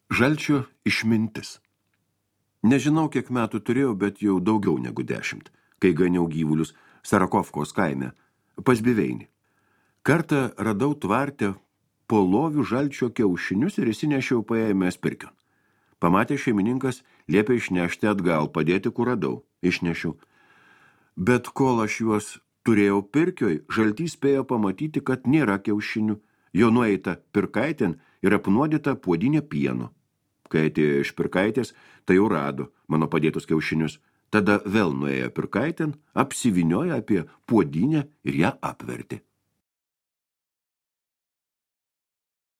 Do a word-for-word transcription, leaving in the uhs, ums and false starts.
Žalčio išmintis. Nežinau, kiek metų turėjau, bet jau daugiau negu dešimt, kai ganiau gyvulius Sarakovkos kaime, pas Biveinį. Kartą radau tvarte po lovių žalčio kiaušinius ir įsinešiau paėmęs pirkion. Pamatė šeimininkas, liepė išnešti atgal, padėti, kur radau. Išnešiau. Bet kol aš juos turėjau pirkioj, žaltys spėjo pamatyti, kad nėra kiaušinių. Jo nueita pirkaitėn ir apnuodyta puodinė pieno. Kai atėjo iš pirkaitės, tai jau rado mano padėtus kiaušinius. Tada vėl nuėjo pirkaitėn, apsiviniojo apie puodinę ir ją apvertė.